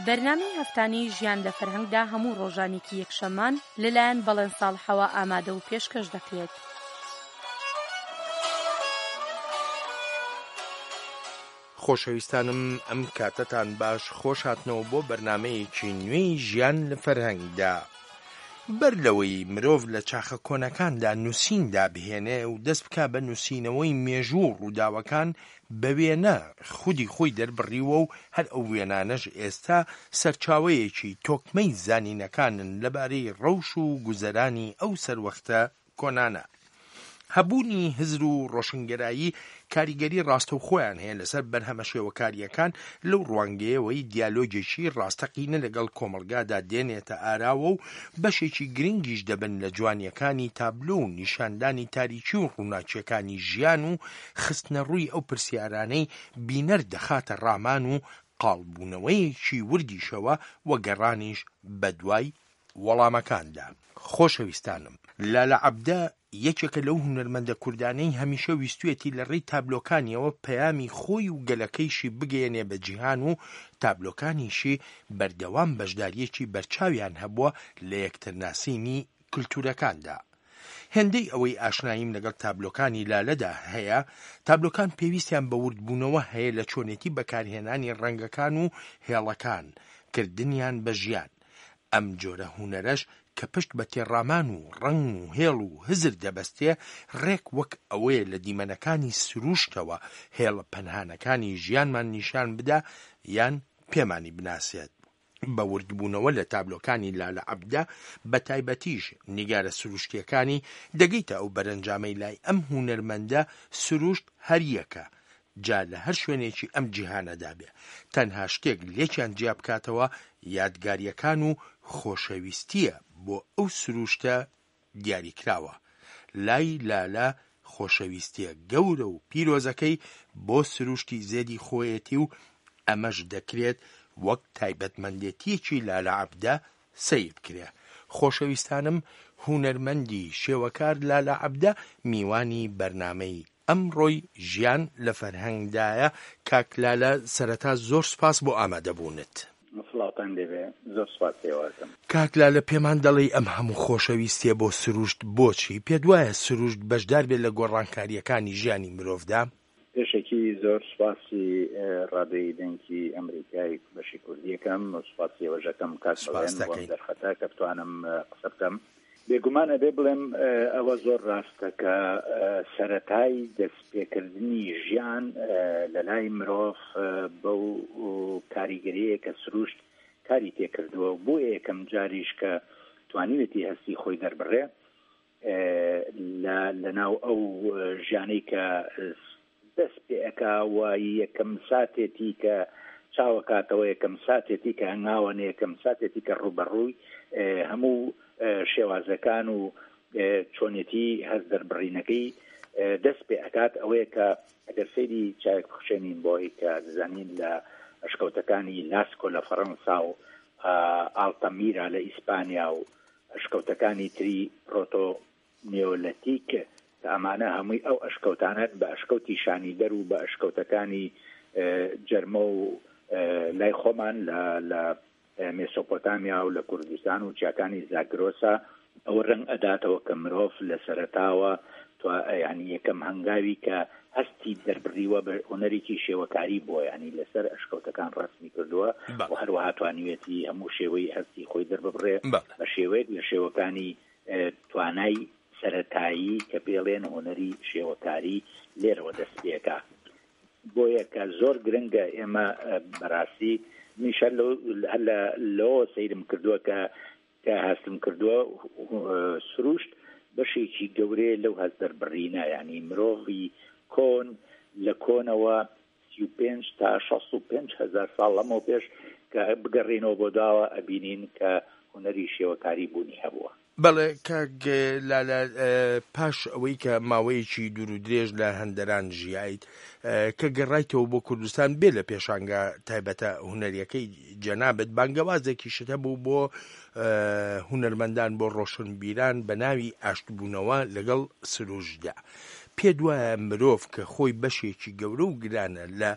بەرنامەی هەفتانەی ژیان لە فەرهەنگدا هەموو ڕۆژانێکی یەکشەممان لەلایەن بەڵێن ساڵحەوە ئامادە و پێشکەش دەکرێت. خۆشەویستانم ئەم کاتەتان باش خۆش هاتنەوە بۆ بەرنامەیەکی نوێی ژیان لە فەرهەنگدا. بەر لەوەی مرۆڤ لە چاخە کۆنەکاندا نووسین دابهێنێ و دەست بکا بە نووسینەوەی مێژوو و ڕووداوەکان بە وێنە خودی خۆی دەربڕیوە و هەر ئەو وێنانەش ئێستا سەرچاوەیەکی تۆکمەی زانینەکانن لەبارەی ڕەوش و گوزەرانی ئەو سەروەختە کۆنانە. هەبوونی هزر و ڕۆشنگەرایی کاریگەری ڕاستەوخۆیان هەیە لەسەر بەرهەمە شێوەکارییەکان لەو ڕوانگەیەوەی دیالۆگێکی ڕاستەقینە لەگەڵ کۆمەڵگادا دێنێتە ئاراوە و بەشێکی گرنگیش دەبن لە جوانییەکانی تابلۆ و نیشاندانی تاریکی و ڕووناکییەکانی ژیان و خستنەڕووی ئەو پرسیارانەی بینەر دەخاتە ڕامان و قاڵبوونەوەیەکی وردیشەوە و گەڕانیش بەدوای وەڵامەکاندا. خۆشەویستانم لالە عەبدە یەکێکە لەو هونەرمەندە کوردانەی هەمیشە ویستویەتی لە ڕێی تابلۆکانیەوە پەیامی خۆی و گەلەکەیشی بگەیەنێ بە جیهان و تابلۆکانیشی بەردەوام بەشداریەکی بەرچاویان هەبووە لە یەکترناسینی کلتورەکاندا. هێندەی ئەوەی ئاشناییم لەگەڵ تابلۆکانی لالەدا هەیە، تابلۆکان پێویستیان بە وردبوونەوە هەیە لە چۆنێتی بەکارهێنانی ڕەنگەکان و هێڵەکان، کردنیان بە ژیان. ئەم جۆرە هونەرەش کە پشت بە تێڕامان و ڕەنگ و هێڵ و هزر دەبەستێ، ڕێک وەک ئەوەیە لە دیمەنەکانی سرووشتەوە هێڵە پەنهانەکانی ژیانمان نیشان بدا یان پێمانی بناسێت. بە وردبوونەوە لە تابلۆکانی لالە عەبدە، بە تایبەتیش نیگارە سروشتییەکانی، دەگەیتە ئەو بەرەنجامەی لای ئەم هونەرمەندە سروشت هەر یەکە، جا لە هەر شوێنێکی ئەم جیهانەدا بێ، تەنها شتێک لێکیان جیا بکاتەوە یادگارییەکان و خۆشەویستییە بۆ ئەو سروشتە دیاریکراوە. لای لالە خۆشەویستییە گەورە و پیرۆزەکەی بۆ سروشتی زێدی خۆیەتی و ئەمەش دەکرێت وەک تایبەتمەندێتییەکی لالە عەبدە سەیر بکرێ. خۆشەویستانم هونەرمەندی شێوەکار لالە عەبدە میوانی بەرنامەی ئەمڕۆی ژیان لە فەرهەنگدایە، کاک لالە سەرەتا زۆر سوپاس بۆ ئامادەبوونت. سڵاوتان لێبێ زۆر سوپاس ئێوە ئەکەم. کاک لالە پێمان دەڵێی ئەم هەموو خۆشەویستیە بۆ سروشت بۆچی؟ پێت وایە سروشت بەشدار بێت لە گۆڕانکارییەکانی ژیانی مرۆڤدا؟ پێشەکی زۆر سوپاسی ڕادیۆی دەنگی ئەمریکای بەشی کوردی ئەکەم و سوپاسی ئێوەش ئەکەم کاک سوپاس بەڵێن بۆ ئەم دەکەین. دەرفەتە کە بتوانم قسە بکەم. بێگومان ئەبێ بڵێم ئەوە زۆر ڕاستە کە سەرەتای دەستپێکردنی ژیان لە لای مرۆڤ بەو کاریگەریەیە کە سروشت کاری تێکردووە و بۆ یەکەم جاریش کە توانیوێتی هەستی خۆی دەربڕێ لە لەناو ئەو ژیانەی کە دەست پێ ئەکا و یەکەم ساتێتی کە چاوەکاتەوە یەکەم ساتێتی کە هەنگاوەنێ یەکەم ساتێتی کە ڕووبەڕووی هەموو شێوازەکان و چۆنێتی هەست دەربڕینەکەی دەست پێ ئەکات ئەوەیە کە ئەگەر سەیری چاوێک بخشێنین بۆی کە دەزانین لە ئەشکەوتەکانی لاسکۆ لە فەڕەنسا و ئاڵتەمیرا لە ئیسپانیا و ئەشکەوتەکانی تری پرۆتۆ نیۆلەتیک کە ئەمانە هەمووی ئەو ئەشکەوتانەن بە ئەشکەوتی شانیدەر و بە ئەشکەوتەکانی جەرمە و لای خۆمان لە لە مێسۆپۆتامیا و لە کوردستان و چیاکانی زاگرۆسا ئەوە ڕەنگ ئەداتەوە کە مرۆڤ لە سەرەتاوە ینی یەکەم هەنگاوی کە هەستی دەربڕیوە بە هونەرێکی شێوەکاری بووە یانی لەسەر ئەشکەوتەکان ڕەسمی کردووە و هەروەها توانیوێتی هەموو شێوەی هەستی خۆی دەرببڕێ بە شێوەیەک لە شێوەکانی توانای سەرەتایی کە پێڵێن هونەری شێوەکاری لێرەوە دەست پێکا بۆیە کە زۆر گرنگە ئێمە بەڕاستی منیش هەر لەوە سەیرم کردووە کە کە هەستم کردووە سروشت بەشێکی گەورەیە لەو هەست دەربڕینە یانی مرۆڤی کۆن لە کۆنەوە 35 تا 65 هەزار ساڵ لەمەو پێش کە بگەڕێینەوە بۆ دواوە ئەبینین کە هونەری شێوەکاری بوونی هەبووە. بەڵێ کاک لالە پاش ئەوەی کە ماوەیەکی دوور و درێژ لە هەندەران ژیایت کە گەڕایتەوە بۆ کوردستان بێ لە پێشانگا تایبەتە هونەریەکەی جەنابت بانگەوازێکیشت هەبوو بۆ هونەرمەندان، بۆ ڕۆشنبیران بە ناوی ئاشتبوونەوە لەگەڵ سروشتدا. پێت وایە مرۆڤ کە خۆی بەشێکی گەورە و گرانە لە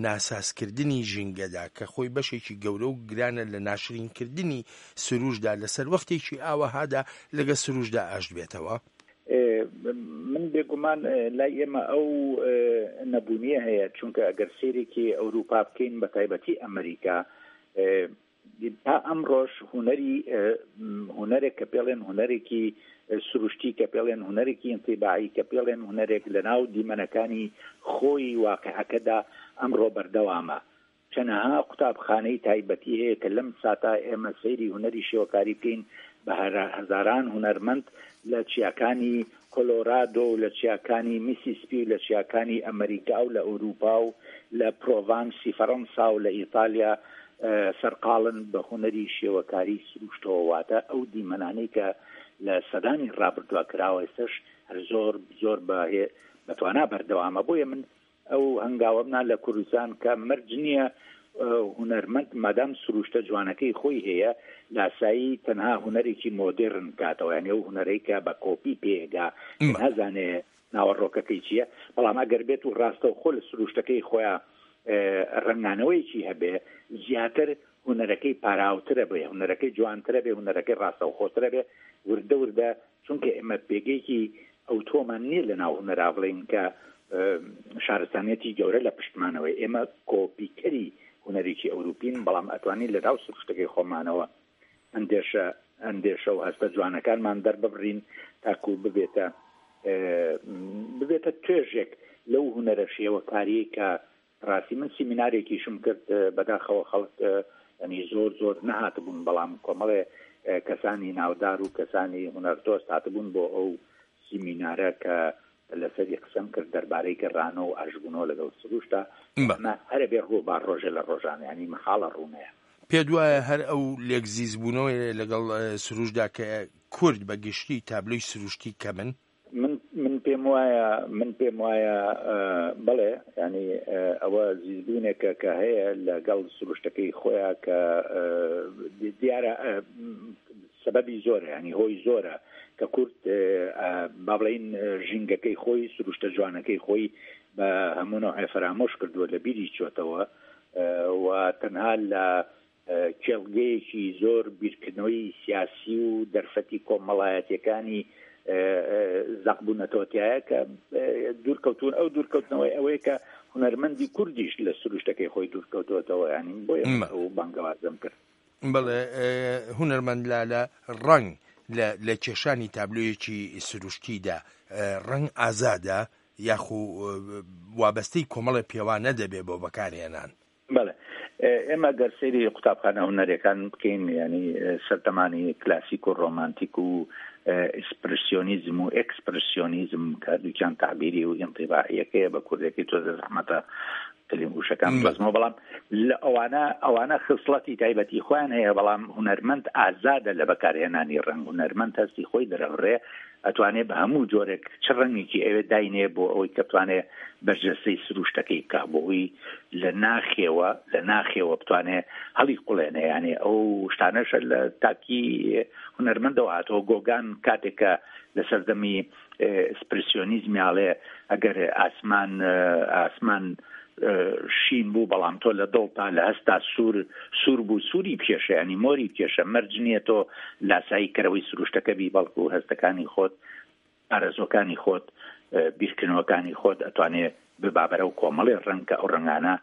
ناسازکردنی ژینگەدا، کە خۆی بەشێکی گەورە و گرانە لە ناشرینکردنی سروشتدا، لە سەروەختێکی ئاوەهادا لەگەڵ سروشتدا ئاشت بێتەوە؟ من بێگومان لای ئێمە ئەو نەبوونیە هەیە، چونکە ئەگەر سەیرێکی ئەوروپا بکەین بە تایبەتی ئەمریکا، تا ئەمڕۆش هونەری هونەرێک کە پێڵێن هونەرێکی سروشتی، کە پێڵێن هونەرێکی ئینتیباعی، کە پێڵێن هونەرێک لە ناو دیمەنەکانی خۆی واقعەکەدا ئەمڕۆ بەردەوامە. چەنەها قوتابخانەی تایبەتی هەیە کە لەم ساتە ئێمە سەیری هونەری شێوەکاری بکەین بە هەزاران هونەرمەند لە چیاکانی کۆلۆرادۆ و لە چیاکانی میسیسپی و لە چیاکانی ئەمەریکا و لە ئەوروپا و لە پرۆڤانسی فەرەنسا و لە ئیتالیا سەرقاڵن بە هونەری شێوەکاری سروشتەوە، واتە ئەو دیمەنانەی کە لە سەدانی ڕابردووە کراوە ئێستەش هەر زۆر زۆر بە توانا بەردەوامە. بۆیە من ئەو هەنگاوەم نا لە کوردستان کە مەرج نییە هونەرمەند مادام سروشتە جوانەکەی خۆی هەیە لاسایی تەنها هونەرێکی مۆدێرن بکاتەوە، یانی ئەو هونەرەی کە بە کۆپی پێگا نازانێ ناوەڕۆکەکەی چییە، بەڵام ئەگەر بێت و ڕاستەوخۆ لە سروشتەکەی خۆیان ڕەنگانەوەیەکی هەبێ زیاتر هونەرەکەی پاراوترە بێ، هونەرەکەی جوانترە بێ، هونەرەکەی ڕاستەوخۆترە بێ، وردە وردە چونکە ئێمە پێگەیەکی ئەوتۆمان نییە لە ناو هونەرا بڵێین کە شارستانیەتی گەورە لە پشتمانەوەی، ئێمە کۆپیکەری هونەرێکی ئەوروپین، بەڵام ئەتوانین لە ناو سروشتەکەی خۆمانەوە ئەندێشە ئەندێشە و هەستە جوانەکانمان دەرببڕین تاکو ببێتە ببێتە توێژێک لەو هونەرە شێوەکاریەی کە ڕاستی من سیمینارێکیشم کرد، بەداخەوە خەڵک ینی زۆر زۆر نەهاتبوون، بەڵام کۆمەڵێ کەسانی ناودار و کەسانی هونەردۆست هاتبوون بۆ ئەو سیمینارە کە لەسەری قسەم کرد دەربارەی گەڕانەوە و ئاشبوونەوە لەگەڵ سروشتا. ئەمە هەرە بێ ڕووبا ڕۆژێ لە ڕۆژان، ینی مەحاڵە ڕوونەیە. پێت وایە هەر ئەو لێکزیزبوونەوەیە لەگەڵ سروشتدا کە کورد بە گشتی تابلۆی سروشتی کەمن؟ من من پێم وایە من پێم وایە بەڵێ، ینی ئەوە زیزبوونێکە کە هەیە لەگەڵ سروشتەکەی خۆیان کە دیارە سەبەبی زۆرە، ینی هۆی زۆرە کە کورد با بڵین ژینگەکەی خۆی سروشتە جوانەکەی خۆی بە هەموو نەوعێ فەرامۆش کردووە، لە بیری چۆتەوە و تەنها لە کێڵگەیەکی زۆر بیرکردنەوەی سیاسی و دەرفەتی کۆمەڵایەتیەکانی زەق بوونەتەوە تایە کە دوورکەوتون. ئەو دوورکەوتنەوەی ئەوەیە کە هونەرمەندی کوردیش لە سروشتەکەی خۆی دوورکەوتوەتەوە، ینی بۆیە ئەو بانگەوازم کرد. بەڵێ هونەرمەند لالە، ڕەنگ لە کێشانی تابلۆیەکی سروشتیدا ڕەنگ ئازادە یاخو وابەستەی کۆمەڵێ پێوانە دەبێ بۆ بەکارهێنان؟ بەڵێ، ئێمە گەر سەیری قوتابخانە هونەریەکان بکەین، ینی سەردەمانی کلاسیک و ڕۆمانتیک و ئیسپرسیۆنیزم و ئێکسپرسیۆنیزم کە دووکیان تعبیری و ئینتیباعیەکەیە، بە کوردەکەی تۆزە زەحمەتە کلیم وشەکان بڵێمەوە، بەڵام لە ئەوانە ئەوانە خسڵەتی تایبەتی خۆیان هەیە، بەڵام هونەرمەند ئازادە لە بەکارهێنانی ڕەنگ. هونەرمەند هەستی خۆی دەرەبڕێ، ئەتوانێ بە هەموو جۆرێک چ ڕەنگێکی ئەوێ داینێ بۆ ئەوەی کە بتوانێ بەرجەستەی سروشتەکەی بکا، بۆ ئەوی لە ناخێوە لە ناخێوە بتوانێ هەڵی قوڵێنێ. یانێ ئەو شتانەشە لە تاکی هونەرمەندەوە هاتەوە. گۆگان کاتێک کە لە سەردەمی ئسپرسیۆنیزمی ئاڵێ ئەگەر ئاسمان ئاسمان شین بوو بەڵام تۆ لە دڵتا لە هەستا سوور سوور بوو سووری بکێشە، ینی مۆری بکێشە. مەرج نییە تۆ لاسایی کەرەوەی سروشتەکە بی، بەڵکو هەستەکانی خۆت، ئارەزوەکانی خۆت، بیرکردنەوەکانی خۆت ئەتوانێ ببابەرە و کۆمەڵێ ڕەنگ کە ئەو ڕەنگانە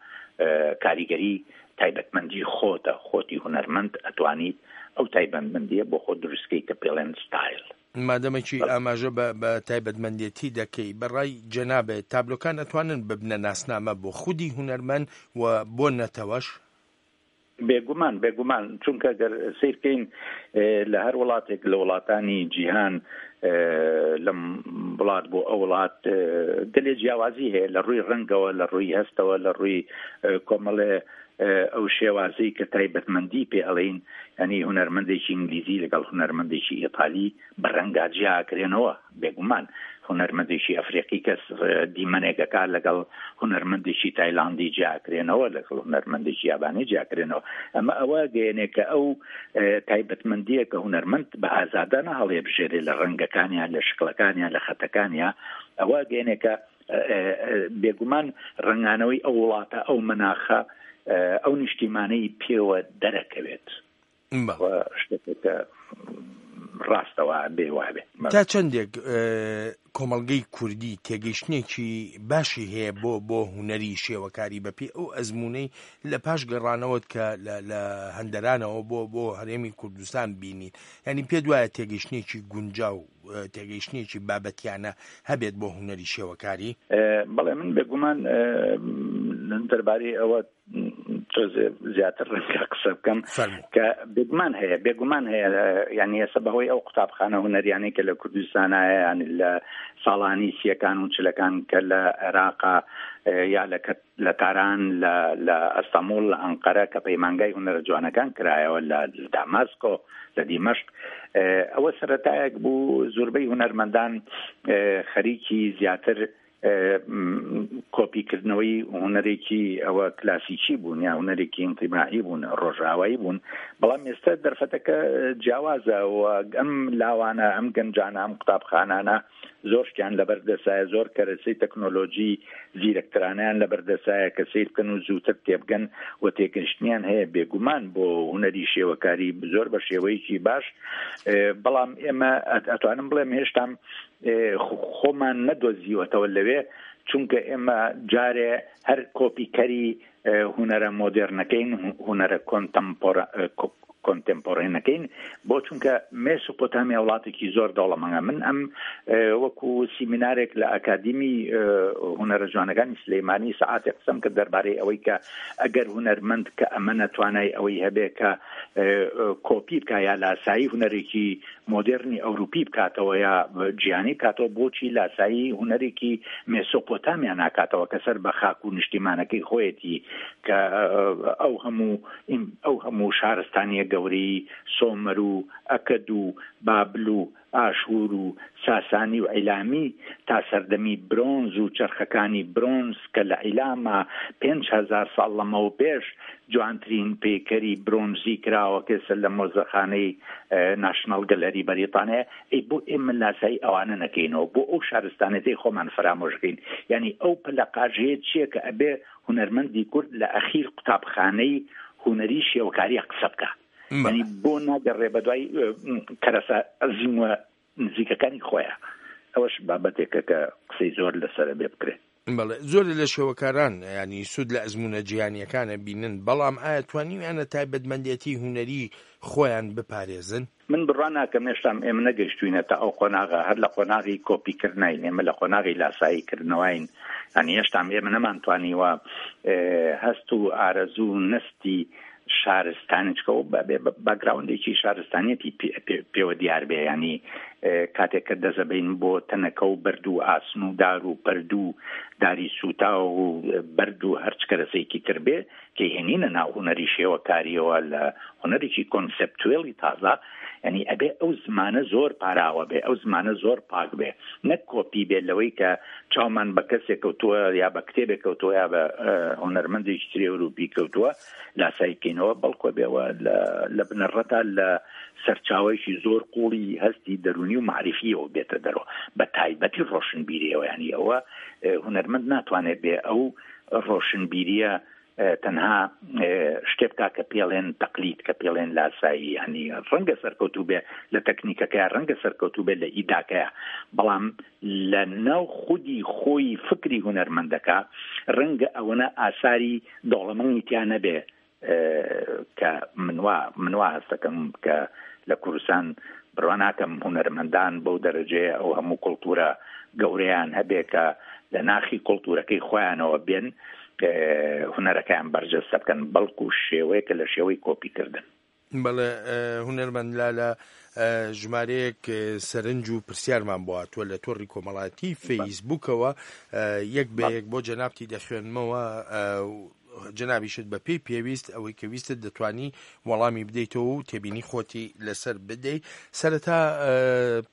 کاریگەری تایبەتمەندی خۆتە، خۆتی هونەرمەند ئەتوانیت ئەو تایبەتمەندیە بۆ خۆت دروستکەی کە پێڵێن ستایل. مادەمەکی ئاماژە بە بە تایبەتمەندێتی دەکەی، بە ڕای جەنابت تابلۆکان ئەتوانن ببنە ناسنامە بۆ خودی هونەرمەند و بۆ نەتەوەش؟ بێگومان، بێگومان، چونکە گەر سەیر بکەین لە هەر وڵاتێک لە وڵاتانی جیهان، لەم وڵات بۆ ئەو وڵات گەلێ جیاوازی هەیە لە ڕووی ڕەنگەوە، لە ڕووی هەستەوە، لە ڕووی کۆمەڵێ ئەو شێوازەی کە تایبەتمەندی پێ ئەڵێین، یانی هونەرمەندێکی ئینگلیزی لەگەڵ هونەرمەندێکی ئیتالی بە ڕەنگا جیاکرێنەوە بێگومان. هونەرمەندێکی ئەفریقی کەس دیمەنێک ئەکات لەگەڵ هونەرمەندێکی تایلاندی جیاکرێنەوە لەگەڵ هونەرمەندێکی یابانی جیاکرێنەوە ئەمە ئەوە گەیەنێ کە ئەو تایبەتمەندیە کە هونەرمەند بە ئازادانە هەڵێبژێرێ لە ڕەنگەکانیان لە شکڵەکانیان لە خەتەکانیان ئەوە گەیەنێ کە بێگومان ڕەنگانەوەی ئەو وڵاتە ئەو مەناخە ئەو نیشتیمانەی پێوە دەرەکەوێت شتێکە ڕاستەوە بێ وابێ. تا چەندێک کۆمەڵگەی کوردی تێگەیشتنێکی باشی هەیە بۆ بۆ هونەری شێوەکاری بەپێی ئەو ئەزموونەی لە پاش گەڕانەوەت کە لە هەندەرانەوە بۆ بۆ هەرێمی کوردستان بینیت یانی پێت وایە تێگەیشتنێکی گونجاو تێگەیشتنێکی بابەتیانە هەبێت بۆ هونەری شێوەکاری؟ بەڵێ من بێگومان دەربارەی ئەوە تۆزێ زیاتر ڕەنگە قسە بکەم کە بێگومان هەیە بێگومان هەیە یعنی ئێستا بەهۆی ئەو قوتابخانە هونەریانەی کە لە کوردستانایە یعنی لە ساڵانی سیەکان و چلەکان کە لە عێراقا یا لە لە تاران لە لە ئەستەموڵ لە ئەنقەرە کە پەیمانگای هونەرە جوانەکان کرایەوە لە داماسکۆ لە دیمەشق ئەوە سەرەتایەک بوو زۆربەی هونەرمەندان خەریکی زیاتر کۆپی کردنەوەی هونەرێکی ئەوە کلاسیکی بوون یا هونەرێکی ئینتیماعی بوون ڕۆژئاوایی بوون بەڵام ئێستا دەرفەتەکە جیاوازە و ئەم لاوانە ئەم گەنجانە ئەم قوتابخانانە زۆر شتیان لەبەر دەسایە زۆر کەرەسەی تەکنۆلۆژی زیرەکترانیان لەبەر دەسایە کە سیر بکەن و زووتر تێبگەن و تێگەشتنیان هەیە بێگومان بۆ هونەری شێوەکاری زۆر بە شێوەیەکی باش بەڵام ئێمە ئەتوانم بڵێم هێشتام خۆمان نەدۆزیوەتەوە لەوێ چونکە ئێمە جارێ هەر کۆپیکەری هونەرە مۆدێرنەکەین هونەرە کۆنتێمپۆرێنەکەین بۆ چونکە مێسۆپۆتامیا وڵاتێکی زۆر دەوڵەمەنگە من ئەم وەکو سیمینارێک لە ئەکادیمی هونەرە جوانەکانی سلەیمانی سەعاتێک قسەم کرد دەربارەی ئەوەی کە ئەگەر هونەرمەند کە ئەمە نەتوانای ئەوەی هەبێ کە کۆپی بکە یا لاسایی هونەرێکی مۆدێرنی ئەوروپی بکاتەوە یا جیهانی بکاتەوە، بۆچی لاسایی هونەرێکی مێسۆپۆتامیا ناکاتەوە کە سەر بە خاک و نیشتیمانەکەی خۆیەتی کە ئەو هەموو ئەو هەموو شارستانیە گەورەی سۆمەر و ئەکەد و بابل و ئاشوور و ساسانی و عیلامی تا سەردەمی برۆنز و چەرخەکانی برۆنز کە لە عیلاما 5000 ساڵ لەمەوپێش جوانترین پەیکەری برۆنزی کراوە کە ئێستا لە مۆزەخانەی ناشناڵ گەلەری بەریتانیایە، ئەی بۆ ئێمە لاسایی ئەوانە نەکەینەوە؟ بۆ ئەو شارستانێتەی خۆمان فەرامۆش بکەین؟ یانی ئەو پەلەقاژەیە چییە کە ئەبێ هونەرمەندی کورد لە ئەخیر قوتابخانەی هونەری شێوەکارییە قسە بکا؟ یانی بۆ ناگەڕێ بەدوای کەرەسە زیندووە نزیکەکانی خۆیان ئەوەش بابەتێکە کە قسەی زۆر لەسەرە بێ بکرێت. بەڵێ زۆرێ لە شێوەکاران یانی سوود لە ئەزموونە جیهانییەکانە بینن، بەڵام ئایا توانیویانە تایبەتمەندێتی هونەری خۆیان بپارێزن؟ من بڕوا ناکەم هێشتام ئێمە نەگەیشتووینەتە ئەو قۆناغە، هەر لە قۆناغی کۆپی کردناین، ئێمە لە قۆناغی لاسایی کردنەوەین، یانی هێشتام ئێمە نەمانتوانیوە هەست و ئارەزوو و نەستی شارستانی چکە و بێ باگراوندێکی شارستانیەتی پێوە دیار بێ ینی کاتێک کە دەزەبین بۆ تەنەکە و بەرد و ئاسن و دار و پەرد و داری سووتا و بەرد و هەرچ کەرەسەیەکی تر بێ کە هێنینە ناو هونەری شێوەکاریەوە لە هونەرێکی کۆنسپتوێلی تازە یعنی ئەبێ ئەو زمانە زۆر پاراوە بێ ئەو زمانە زۆر پاک بێ نەک کۆپی بێ لەوەی کە چاومان بە کەسێک کەوتووە یا بە کتێبێک کەوتووە یا بە هونەرمەندێکی تری ئەوروپی کەوتووە لاسایی بکەینەوە بەڵکۆ بێەوە لە بنەڕەتا لە سەرچاوەیەکی زۆر قوڵی هەستی دەرونی و معریفیەوە بێتە دەرەوە بە تایبەتی ڕۆشنبیریەوە ینی ئەوە هونەرمەند ناتوانێت بێ ئەو ڕۆشنبیریە تەنها شتێ بکا کە پێڵێن تەقلید کە پێڵێن لاسایی ینی ڕەنگە سەرکەوتوو بێ لە تەکنیکەکەی ڕەنگە سەرکەوتوو بێ لە ئیداکەیە بەڵام لە ناو خودی خۆی فکری هونەرمەندەکە ڕەنگە ئەوەنە ئاساری دەوڵەمەنی تیا نەبێ کە منوا منوا هەستەکەم کە لە کوردستان بڕوا ناکەم هونەرمەندان بەو دەرەجەیە ئەو هەموو کڵتورە گەورەیان هەبێ کە لە ناخی کڵتورەکەی خۆیانەوە بێن هونەرەکەیان بەرجەستە بکەن بەڵکو شێوەیەکە لە شێوەی کۆپی کردن. بەڵێ هونەرمەند لالە ژمارەیەک سەرنج و پرسیارمان بۆ هاتووە لە تۆڕی کۆمەڵایەتی فەیسبووکەوە یەک بە یەک بۆ جەنابتی دەخوێنمەوە. جەنابیشت بە پێی پێویست ئەوەی کە ویستت دەتوانی وەڵامی بدەیتەوە و تێبینی خۆتی لەسەر بدەی. سەرەتا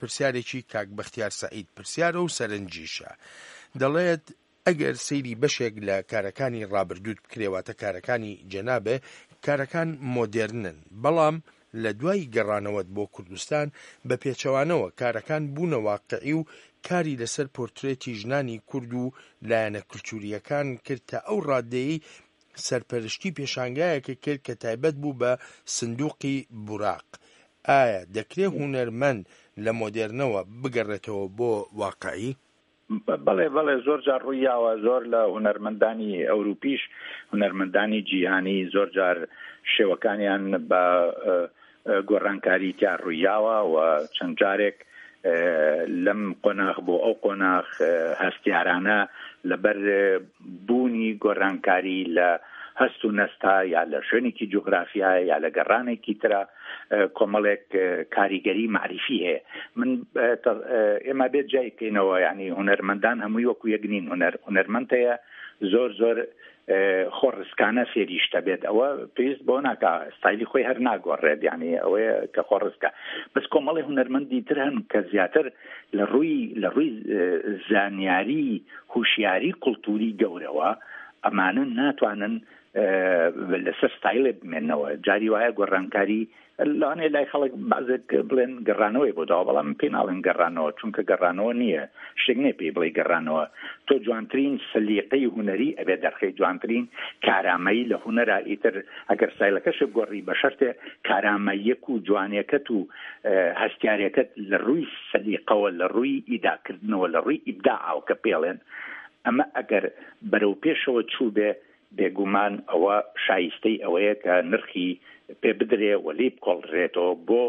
پرسیارێکی کاک بەختیار سەعید پرسیارە و سەرنجیشە. دەڵێت ئەگەر سەیری بەشێک لە کارەکانی ڕابردووت بکرێ واتە کارەکانی جەنابێ کارەکان مۆدێرنن بەڵام لە دوای گەڕانەوەت بۆ کوردستان بە پێچەوانەوە کارەکان بوونە واقعی و کاری لەسەر پۆرترێتی ژنانی کورد و لایەنە کلتورییەکان کرد تا ئەو ڕادەیەی سەرپەرشتی پێشانگایەکت کرد کە تایبەت بوو بە سندوقی بوراق. ئایا دەکرێ هونەرمەند لە مۆدێرنەوە بگەڕێتەوە بۆ واقعی؟ بەڵێ بەڵێ زۆر جار ڕووی یاوە زۆر لە هونەرمەندانی ئەوروپیش هونەرمەندانی جیهانی زۆر جار شێوەکانیان بە گۆڕانکاری تیا ڕوویاوە و چەند جارێک لەم قۆناغ بۆ ئەو قۆناغ هەستیارانە لەبەر بوونی گۆڕانکاری لە هەست و نەستا یا لە شوێنێکی جوگرافیا یا لە گەڕانێکی ترە کۆمەڵێک کاریگەری مەعریفی هەیە من ئێمە بێت جای بکەینەوە ینی هونەرمەندان هەمووی وەکو یەک نین هونەر هونەرمەند هەیە زۆر زۆر خۆڕسکانە فێری شتە بێت ئەوە پێویست بۆ ناکا ستایلی خۆی هەر ناگۆڕێت یعنی ئەوەیە کە خۆڕسکە بەس کۆمەڵی هونەرمەندی تر هەن کە زیاتر لە ڕووی لە ڕووی زانیاری هوشیاری کولتوری گەورەوە ئەمانە ناتوانن لەسەر ستایلێ بمێنەوە جاری وایە گۆڕانکاری لەوانەیە لای خەڵک بەعزێک بڵێن گەڕانەوەی بۆ داوە بەڵام من پێی ناڵێم گەڕانەوە چونکە گەڕانەوە نییە شتێک نییە پێی بڵێی گەڕانەوە تۆ جوانترین سەلیقەی هونەری ئەبێ دەرخەی جوانترین کارامەیی لە هونەرا ئیتر ئەگەر ستایلەکەشت گۆڕی بە شەرتێ کارامەییەک و جوانیەکەت و هەستیارێکەت لە ڕووی سەلیقەوە لە ڕووی ئیداکردنەوە لە ڕووی ئیبداعەوە کە پێڵێن ئەمە ئەگەر بەرەو پێشەوە چووبێ بێگومان ئەوە شایستەی ئەوەیە کە نرخی پێ بدرێ و لێی بکۆڵدرێتەوە بۆ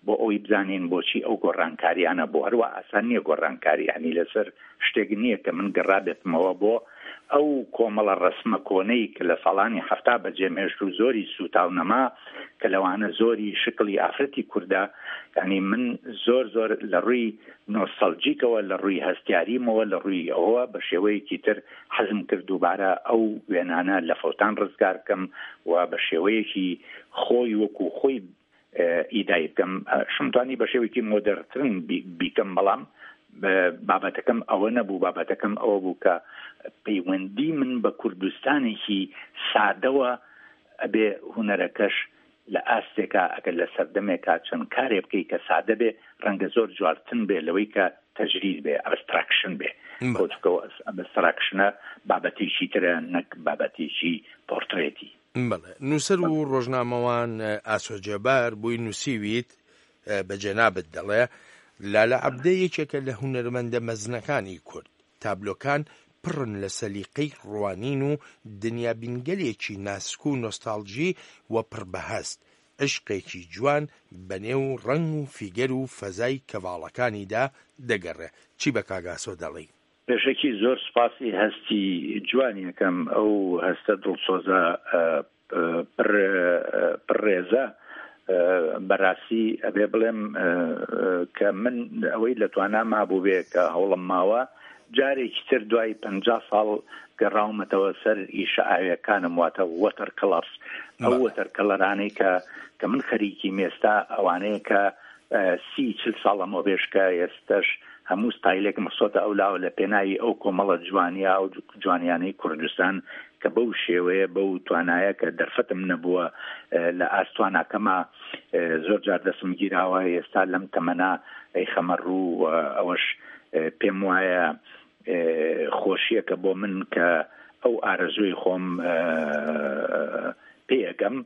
بۆ ئەوەی بزانین بۆچی ئەو گۆڕانکاریانە بۆ هەروا ئاسان نییە گۆڕانکاری یانی لەسەر شتێک نییە کە من گەڕابێتمەوە بۆ ئەو کۆمەڵە ڕەسمە کۆنەی کە لە ساڵانی حەفتا بەجێم هێشت و زۆری سووتاو نەما کە لەوانە زۆری شکڵی ئافرەتی کوردە یانی من زۆر زۆر لە ڕووی نۆستەڵجیکەوە لە ڕووی هەستیاریمەوە لە ڕووی ئەوە بە شێوەیەکی تر حەزم کرد دووبارە ئەو وێنانە لە فەوتان ڕزگار بکەم و بە شێوەیەکی خۆی وەکو خۆی ئیدای بکەم شمتوانی بە شێوەیەکی مۆدەرترن بیکەم بەڵام بابەتەکەم ئەوە نەبوو بابەتەکەم ئەوە بوو کە پەیوەندی من بە کوردستانێکی سادەوە ئەبێ هونەرەکەش لە ئاستێکا ئەگەر لە سەردەمێکا چەند کارێ بکەی کە سادە بێ ڕەنگە زۆر جوارتن بێ لەوەی کە تەجرید بێ ئەبستراکشن بێ بۆ ئەبستراکشنە بابەتێکی ترە نەک بابەتێکی پۆرترێتی. بەڵێ نووسەر و ڕۆژنامەوان ئاسۆ جەبار بۆی نووسیویت بە جەنابت دەڵێ لالە عەبدە یەکێکە لە هونەرمەندە مەزنەکانی کورد تابلۆکان پڕن لە سەلیقەی ڕوانین و دنیابینگەلێکی ناسک و نۆستاڵجی و پڕ بەهەست، عیشقێکی جوان بە نێو ڕەنگ و فیگەر و فەزای کەڤاڵەکانیدا دەگەڕێ. چی بە کاک ئاسۆ دەڵێی؟ پێشەکی زۆر سوپاسی هەستی جوانی ئەکەم، ئەو هەستە دڵسۆزە پڕ پڕ ڕێزە بەڕاستی ئەبێ بڵێم کە من ئەوەی لە توانا مابوو بێ کە هەوڵم ماوە جارێکی تر دوای پ ساڵ گەڕاومەتەوە سەر ئیشە ئاویەکانم واتە وەتەر کەڵەرس ئەو وەتەر کەڵەرانەی کە کە من خەریکی مێستا ئەوانەیە کە سی چل ساڵ لەمەوبێش کە ئێستەش هەموو ستایلێکم خستۆتە ئەو لاوە لە پێناوی ئەو کۆمەڵە جوانیە ئەو جوانیانەی کوردستان کە بەو شێوەیە بەو توانایە کە دەرفەتم نەبووە لە ئاست تواناکەما زۆر جار دەستم گیراوە ئێستا لەم تەمەنا ئەیخەمە ڕوو و ئەوەش پێم وایە خۆشیەکە بۆ من کە ئەو ئارەزووی خۆم پێ ئەگەم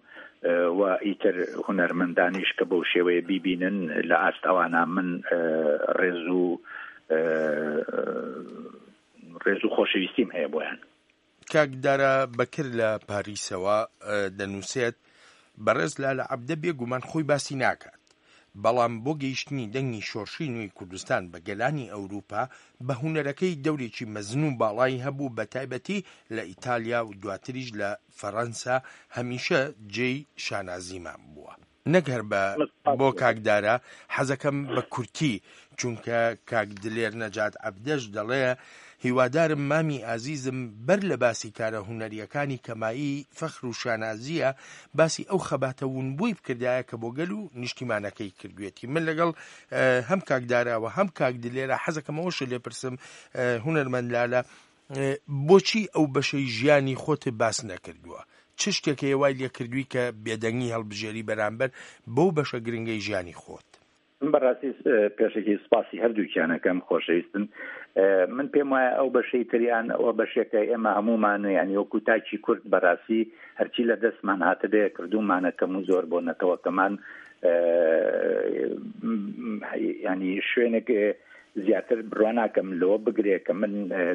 و ئیتر هونەرمەندانیش کە بەو شێوەیە بیبینن لە ئاست ئەوانە من ڕێز و ڕێز و خۆشەویستیم هەیە بۆیان. کاک دارا بەکر لە پاریسەوە دەنووسێت، بەڕێز لالە عەبدە بێ گومان خۆی باسی ناکات، بەڵام بۆ گەیشتنی دەنگی شۆرشی نوێی کوردستان بە گەلانی ئەوروپا بە هونەرەکەی دەورێکی مەزن و باڵای هەبوو بە تایبەتی لە ئیتالیا و دواتریش لە فەرەنسا هەمیشە جێی شانازیمان بووە. نەک هەر بە بۆ کاک دارا حەزەکەم بە کورتی چونکە کاک دلێر نەجات عەبدەش دەڵێ هیوادارم مامی ئازیزم بەر لە باسی کارە هونەریەکانی کە مایەی فەخر و شانازیە باسی ئەو خەباتە ونبووی بکردایە کە بۆ گەل و نیشتیمانەکەی کردوێتی من لەگەڵ هەم کاک داراوە هەم کاک دلێرە حەزەکەم ئەوەشت لێ پرسم هونەرمەند لالە بۆچی ئەو بەشەی ژیانی خۆت باس نەکردووە؟ چ شتێک هەیە وای لێکردووی کە بێدەنگی هەڵبژێری بەرامبەر بەو بەشە گرنگەی ژیانی خۆت؟ من بەڕاستی پێشەکی سپاسی هەردووکیان ئەکەم خۆشەویستن. من پێم وایە ئەو بەشەی تریان ئەوە بەشێکە ئێمە هەموومان یانی وەکو تاکی کورد بەڕاستی هەرچی لە دەستمان هاتبێ کردوومانە کەم و زۆر بۆ نەتەوەکەمان ینی شوێنێک زیاتر بڕوا ناکەم لەوە بگرێ کە من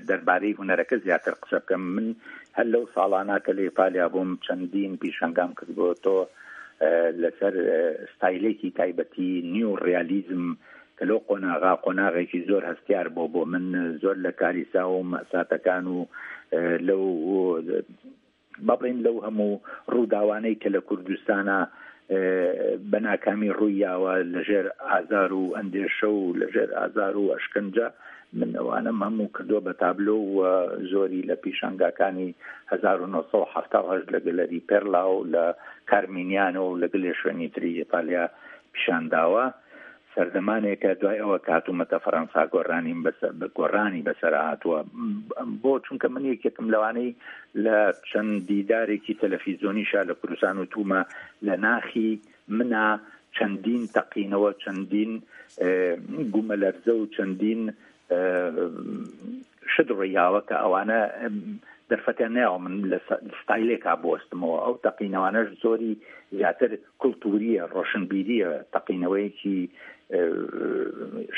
دەربارەی هونەرەکە زیاتر قسە بکەم من هەر لەو ساڵانە کە لە ئیتالیا بووم چەندین پیشانگام کردبووە تۆ لەسەر ستایلێکی تایبەتی نیو ڕیالیزم کە لەو قۆناغا قۆناغێکی زۆر هەستیار بۆ بۆ من زۆر لە کاریسا و مەساتەکان و لەو با بڵێین لەو هەموو ڕووداوانەی کە لە کوردستانا بە ناکامی ڕووی یاوە لە ژێر ئازار و ئەندێشە و لە ژێر ئازار و ئەشکەنجە من ئەوانەم هەموو کردووە بە تابلۆ و زۆری لە پیشانگاکانی 1970 لە گەلەری پێرلا و لە کارمینیانۆ و لە گلێ شوێنی تری ئیتالیا پیشان داوە. سەردەمانێکە دوای ئەوە کە هاتوومەتە فەرەنسا گۆڕانیم بەسەر گۆڕانی بەسەر هاتووە بۆ چونکە من یەکێکم لەوانەی لە چەند دیدارێکی تەلەفیزۆنیشا لە کوردستان و تومە لە ناخی منا چەندین تەقینەوە چەندین گومەلەرزە و چەندین شت ڕوویاوە کە ئەوانە دەرفەتیان نەیاوە من لە ستایلێکا بوەستمەوە ئەو تەقینەوانەش زۆری زیاتر کولتوریە ڕۆشنبیریە تەقینەوەیەکی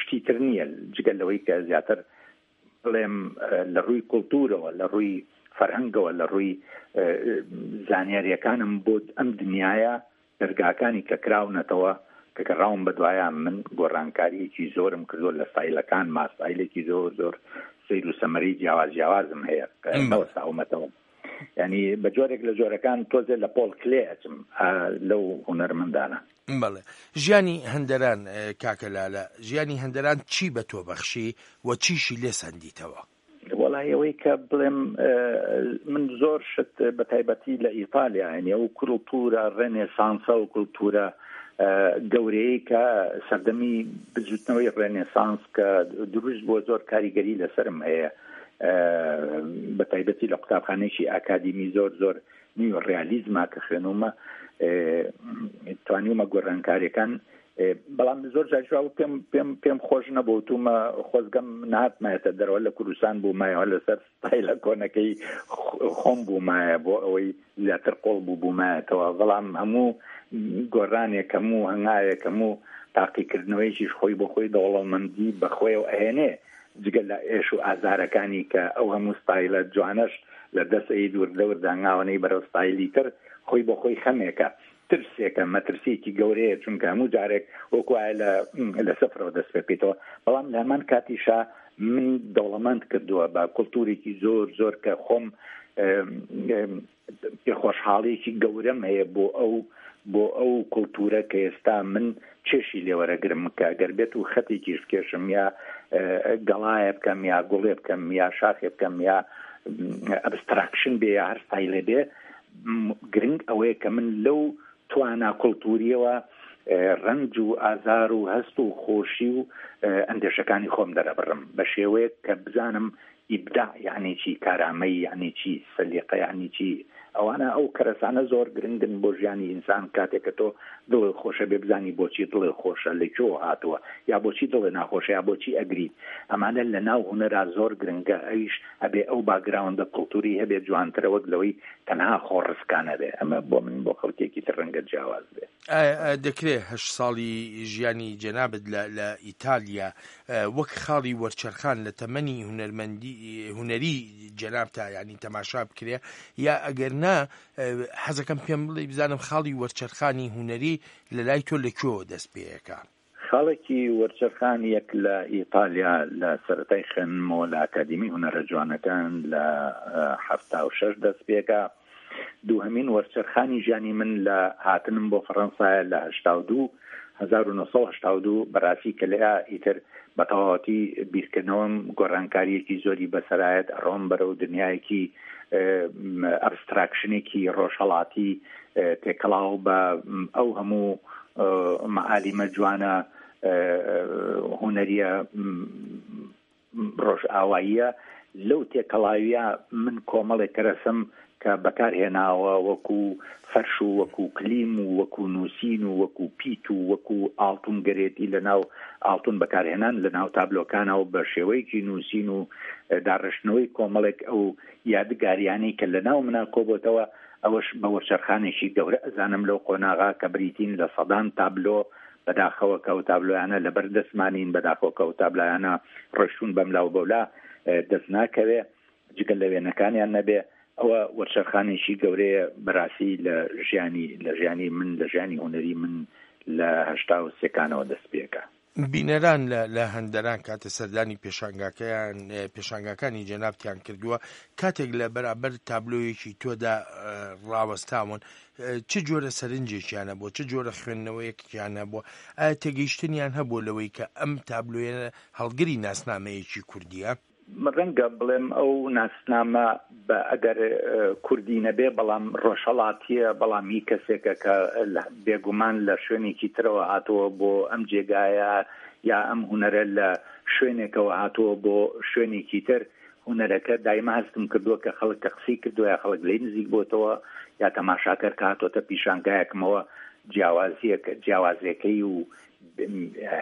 شتی تر نییە جگە لەوەی کە زیاتر بڵێم لە ڕووی کولتورەوە لە ڕووی فەرهەنگەوە لە ڕووی زانیاریەکانم بۆ ئەم دنیاە دەرگاکانی کە کراونەتەوە کە گەڕاوم بەدوایان من گۆڕانکاریەکی زۆرم کردووە لە ستایلەکانما ستایلێکی زۆر زۆر سەیر و سەمەرەی جیاواز جیاوازم هەیە نەوەستاومەتەوە ینی بە جۆرێک لە جۆرەکان تۆزێ لە پۆڵ کلێ ئەچم لەو هونەرمەندانە. بەڵێ ژیانی هەندەران کاکە لالە ژیانی هەندەران چی بە تۆ بەخشی و چیشی لێ سەندیتەوە؟ وەڵای ئەوەی کە بڵێم من زۆر شت بە تایبەتی لە ئیتالیا یعنی ئەو کولتوورە ڕێنێسانسە و کولتوورە گەورەیە کە سەردەمی بزوتنەوەی ڕێنێسانس کە دروست بۆ زۆر کاریگەری لەسرم هەیە بە تایبەتی لە قوتابخانێکی ئاکادیمی زۆر زۆر نیو ڕیالیزما کە خوێنومە توانیومە گۆڕانکاریەکان بەڵام زۆر جاریش وا پێم پێم پێم خۆش نەبوو تومە خۆزگەم نهاتمایەتە دەرەوە لە کوردستان بوومایەوە لەسەر ستایلە کۆنەکەی خۆم بوومایە بۆ ئەوەی زیاتر قۆڵ بوو بوومایەتەوە بەڵام هەموو گۆڕانێک هەموو هەنگاوێک هەموو تاقیکردنەوەیەکیش خۆی بۆ خۆی دەوڵەمەندی بەخۆیەوە ئەهێنێ جگە لە ئێش و ئازارەکانی کە ئەو هەموو ستایلە جوانەش لە دەست ئەیت وردە وردە هەنگاوەنەی بەرەو ستایلی تر خۆی بۆ خۆی خەمێکە ترسێکە، مەترسییەکی گەورەیە، چونکە هەموو جارێک وەکو وایە لە لە سفرەوە دەست پێ بکەیتەوە، بەڵام لە هەمان کاتیشا منی دەوڵەمەند کردووە بە کولتوورێکی زۆر زۆر کە خۆم پێخۆشحاڵیەکی گەورەم هەیە بۆ ئەو بۆ ئەو کولتوورە کە ئێستا من چێشی لێوەرەگرم کە گەر بێت و خەتێکیش بکێشم یا گەڵایە بکەم یا گوڵێ بکەم یا شاخێ بکەم یا ئەبستراکشن بێ یا هەر ستایلێ بێ گرنگ ئەوەیە کە من لەو توانا کولتووریەوە ڕەنج و ئازار و هەست و خۆشی و ئەندێشەکانی خۆم دەرەبڕم بە شێوەیەک کە بزانم ئیبداع یعنی چی، کارامەیی یعنی چی، سەلیقە یعنی چی، ئەوانە ئەو کەرەسانە زۆر گرنگن بۆ ژیانی ئینسان کاتێک کە تۆ دڵت خۆشە بێ بزانی بۆچی دڵت خۆشە لە کوێوە هاتووە یا بۆچی دڵت ناخۆشە یا بۆچی ئەگریت ئەمانە لە ناو هونەرا زۆر گرنگە ئەویش ئەبێ ئەو باگراوندە کڵتوری هەبێ جوانترە وەک لەوەی تەنها خۆڕسکانە بێ ئەمە بۆ من بۆ خەڵکێکی تر ڕەنگە جیاواز بێ. ئایا دەکرێ هەشت ساڵی ژیانی جەنابت لە لە ئیتالیا وەک خاڵی وەرچەرخان لە تەمەنی هونەرمەندی هونەری جەنابتا یانی تەماشا بکرێ یا ئەگەر نا حەزەکەم پێم بڵێی بزانم خاڵی وەرچەرخانی هونەری لە لای تۆ لە کوێوە دەست پێیەکا؟ خاڵێکی وەرچەرخان یەک لە ئیتالیا لە سەرەتای خوێندنمەوە لە ئاکادیمی هونەرە جوانەکان لە 76 دەست پێکا. دووهەمین وەرچەرخانی ژیانی من لە هاتنم بۆ فەڕەنسایە لە 82 1982 بەڕاستی کە لەیا ئیتر بە تەواوەتی بیرکردنەوەم گۆڕانکارییەکی زۆری بەسەرایەت ئەڕۆم بەرەو دنیایەکی ئەبستراکشنێکی ڕۆژهەڵاتی تێکەڵاو بە ئەو هەموو مەعالیمە جوانە هونەریە ڕۆژئاواییە، لەو تێکەڵاوییە من کۆمەڵێک کەرەسەم کە بەکار هێناوە وەکو فەرش و وەکو کلیم و وەکو نووسین و وەکو پیت و وەکو ئاڵتون گەرێتی لە ناو ئاڵتون بەکارهێنان لە ناو تابلۆکانە و بە شێوەیەکی نووسین و داڕشتنەوەی کۆمەڵێک ئەو یادگاریانەی کە لە ناو منا کۆبۆتەوە ئەوەش بە وەرچەرخانێکی گەورە ئەزانم لەو قۆناغا کە بریتین لە سەدان تابلۆ بەداخەوە کە ئەو تابلۆیانە لەبەر دەستمانین، بەداخەوە کە ئەو تابلایانە ڕۆیشتوون بەملا و بەولا دەست ناکەوێ جگە لە وێنەکانیان نەبێ، ئەوە وەرچەرخانێکی گەورەیە بەراستی لە ژیانی لە ژیانی من لە ژیانی هونەری من لە 83 کانەوە دەست پێکا. بینەران لە لە هەندەران کاتێ سەردانی پێشانگاکەیان پێشانگاکانی جەنابتیان کردووە کاتێک لە بەرابەر تابلۆیەکی تۆدا ڕاوەستاون چ جۆرە سەرنجێکیان هەبووە، چ جۆرە خوێندنەوەیەکیان هەبووە، ئایا تێگەیشتنیان هەبووە لەوەی کە ئەم تابلۆیە هەڵگری ناسنامەیەکی کوردییە؟ ڕەنگە بڵێم ئەو ناسنامە بە ئەگەر کوردی نەبێ بەڵام ڕۆژهەڵاتییە، بەڵام هی کەسێکە کە بێگومان لە شوێنێکی ترەوە هاتووە بۆ ئەم جێگایە یا ئەم هونەرە لە شوێنێکەوە هاتووە بۆ شوێنێکی تر. هونەرەکە دایمە هەستم کردووە کە خەڵک کە قسەی کردووە یا خەڵک لێی نزیک بۆتەوە یا تەماشاکەر کە هاتۆتە پیشانگایەکمەوە جیاوازیەک جیاوازیەکەی و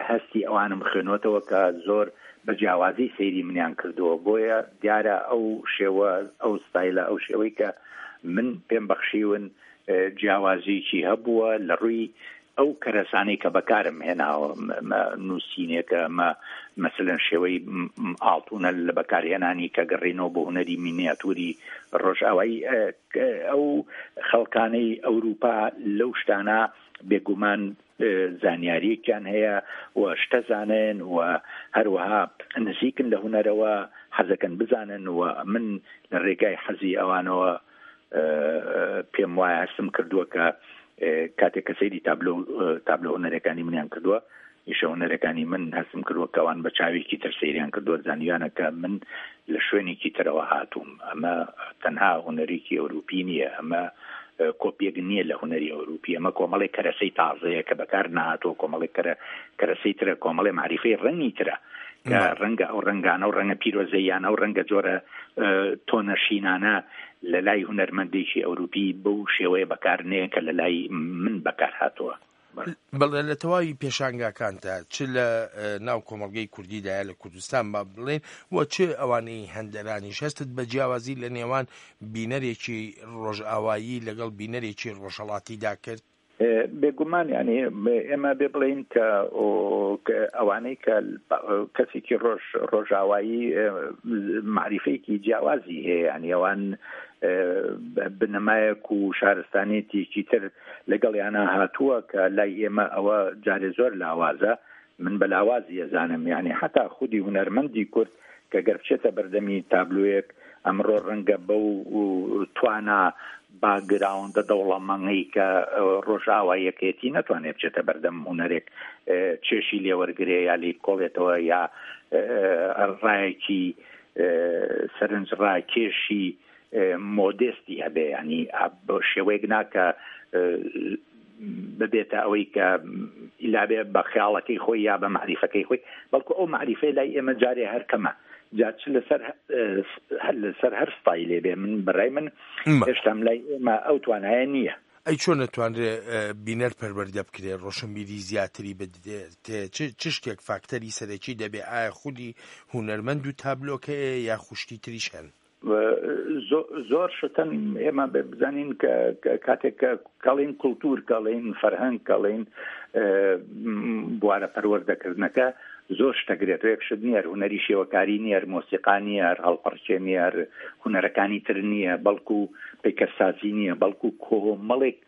هەستی ئەوانم خوێنۆتەوە کە زۆر بە جیاوازی سەیری منیان کردووە بۆیە دیارە ئەو شێوە ئەو ستایلە ئەو شێوەی کە من پێم بەخشیون جیاوازیکی هەبووە لە ڕووی ئەو کەرەسانەی کە بەکارم هێناوە نووسینێکە مە مەسەلەن شێوەی ئاڵتونە لە بەکارهێنانی کە گەڕینەوە بۆ هونەری مینیاتوری ڕۆژئاوایی ئەو خەڵکانەی ئەوروپا لەو شتانە بێگومان زانیاریەکیان هەیە و شتە زانن و هەروەها نزیکن لە هونەرەوە حەزەکەن بزانن و من لە ڕێگای حەزی ئەوانەوە پێم وایە هەستم کردووە کە کاتێک کە سەیری تابلۆ تابلۆ هونەرەکانی منیان کردووە ئیشە هونەرەکانی من هەستم کردووە کەوان بە چاوێکی تر سەیریان کردووە زانیویانە کە من لە شوێنێکی ترەوە هاتووم ئەمە تەنها هونەرێکی ئەوروپی نییە ئەمە کۆپیەک نییە لە هونەری ئەوروپی ئەمە کۆمەڵێک کەرەسەی تازەیە کە بەکار نهاتووە کۆمەڵێک کەرە کەرەسەی ترە کۆمەڵێ معریفەی ڕەنگی ترە کە ڕەنگە ئەو ڕەنگانە و ڕەنگە پیرۆزەیانە و ڕەنگە جۆرە تۆنە شینانە لە لای هونەرمەندێکی ئەوروپی بەو شێوەیە بەکار نێ کە لە لای من بەکار هاتووە. بەڵێ لە تەواوی پێشانگاکانتا چ لە ناو کۆمەڵگەی کوردیدایە لە کوردستان با بڵێین و چ ئەوانەی هەندەرانیش هەستت بە جیاوازی لە نێوان بینەرێکی ڕۆژئاوایی لەگەڵ بینەرێکی ڕۆژهەڵاتیدا کرد؟ بێگومان یانی ئێمە بێ بڵێین کە ئەوانەی کە کەسێکی ڕۆژ ڕۆژاوایی معریفەیەکی جیاوازی هەیە ینی ئەوان بنەمایەک و شارستانێتێکی تر لەگەڵیانە هاتووە کە لای ئێمە ئەوە جارێ زۆر لاوازە من بە لاوازی ئەزانم یانی حەتا خودی هونەرمەندی کورد کە گەر بچێتە بەردەمی تابلۆیەک ئەمڕۆ ڕەنگە بەو توانا باکگراوندە دەوڵەمەنگەی کە ڕۆژئاواییەکەیەتی نەتوانێت بچێتە بەردەم هونەرێک چێشی لێوەرگرێ یا لێی بکۆڵێتەوە یا ڕایەکی سەرنجڕاکێشی مۆدێستی هەبێ ینی بە شێوەیەک ناکە ببێتە ئەوەی کە لابێ بە خیاڵەکەی خۆی یا بە معریفەکەی خۆی بەڵکو ئەو معریفەی لای ئێمە جارێ هەر کەمە جا چ لەسەر هەر لەسەر هەر ستایلێ بێ من بەڕای من هێشتام لای ئێمە ئەو توانایە نییە. ئەی چۆن ئەتوانرێ بینەر پەروەردە بکرێ ڕۆشنبیری زیاتری بدرێتێ چ شتێک فاکتەری سەرەکی دەبێ ئایا خودی هونەرمەند و تابلۆکەیە یا خوشتی تریش هەن؟ زۆر شتن ئێمە بزانین کە کاتێک کە کەڵین کولتور کەڵین فەرهەنگ کەڵین بوارە پەروەردەکردنەکە زۆر شتەگرێتەوە یەک شت نییە هونەری شێوەکاری نییە مۆسیقا نییە هەڵپەڕکێ نییە هونەرەکانی تر نییە بەڵکو پەیکەرسازی نییە بەڵکو کۆمەڵێک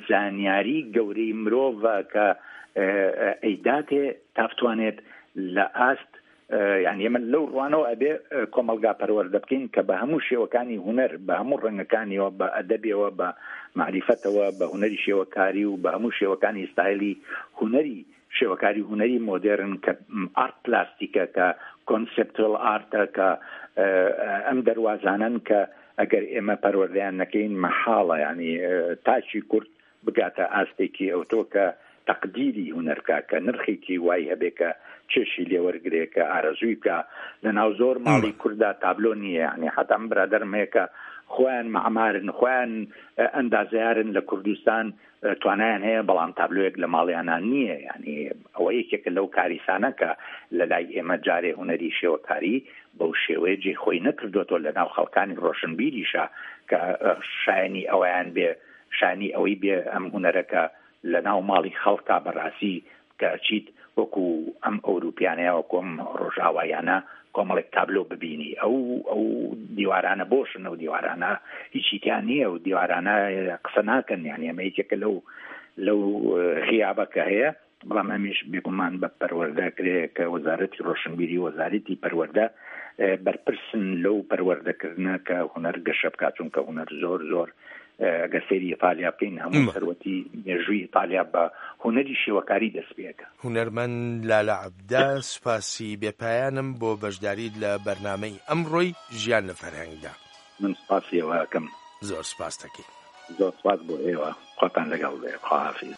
زانیاری گەورەی مرۆڤە کە ئەیداتێ تا بتوانێت لە ئاست. یعنی ئێمە لەو ڕوانەوە ئەبێ کۆمەڵگا پەروەردە بکەین کە بە هەموو شێوەکانی هونەر بە هەموو ڕەنگەکانیەوە بە ئەدەبیەوە بە مەعریفەتەوە بە هونەری شێوەکاری و بە هەموو شێوەکانی ستایلی هونەری شێوەکاری هونەری مۆدێرن کە ئارت پلاستیکە کە کۆنسپتوال ئارتە کە ئەم دەروازانەن کە ئەگەر ئێمە پەروەردەیان نەکەین مەحاڵە ینی تاکی کورد بگاتە ئاستێکی ئەوتۆ کە تەقدیری هونەر بکا، کە نرخێکی وای هەبێ کە چێژی لێ وەرگرێ، کە ئارەزووی بکا. لە ناو زۆر ماڵی کورددا تابلۆ نییە، یانی حەتا من برادەرم هەیە کە خۆیان مەعمارن، خۆیان ئەندازیارن لە کوردستان توانایان هەیە، بەڵام تابلۆیەک لە ماڵیانا نییە. یانی ئەوە یەکێکە لەو کاریسانە کە لە لای ئێمە جارێ هونەری شێوەکاری بەو شێوەیە جێی خۆی نەکردۆتەوە لە ناو خەڵکانی ڕۆشنبیریشا کە شایەنی ئەوەیان بێ شانی ئەوەی بێ ئەم هونەرە کە لە ناو ماڵی خەڵکا بەڕاستی کە ئەچیت وەکو ئەم ئەوروپیانە یا وەکو ئەم ڕۆژئاواییانە کۆمەڵێک تابلۆ ببینی ئەو ئەو دیوارانە بۆشن ئەو دیوارانە هیچی تیا نییە و دیوارانە قسە ناکەن یانی ئەمە یەکێکە لەو لەو غیابە کە هەیە بەڵام ئەمیش بێگومان بە پەروەردە کرێ کە وەزارەتی ڕۆشنبیری وەزارەتی پەروەردە بەرپرسن لەو پەروەردەکردنە کە هونەر گەشە بکات چونکە هونەر زۆر زۆر ئەگەر سەیری ئیتالیا بکەین هەموو سەروەتی مێژووی ئیتالیا بە هونەری شێوەکاری دەست پێکە. هونەرمەند لالە عەبدە سوپاسی بێ پایانم بۆ بەشداریت لە بەرنامەی ئەمڕۆی ژیان لە فەرهەنگدا. من سوپاسی ئێوە ئەکەم. زۆر سوپاست ئەکەین. زۆر سوپاس بۆ ئێوە. خواتان لەگەڵ بێ. خواحافیز.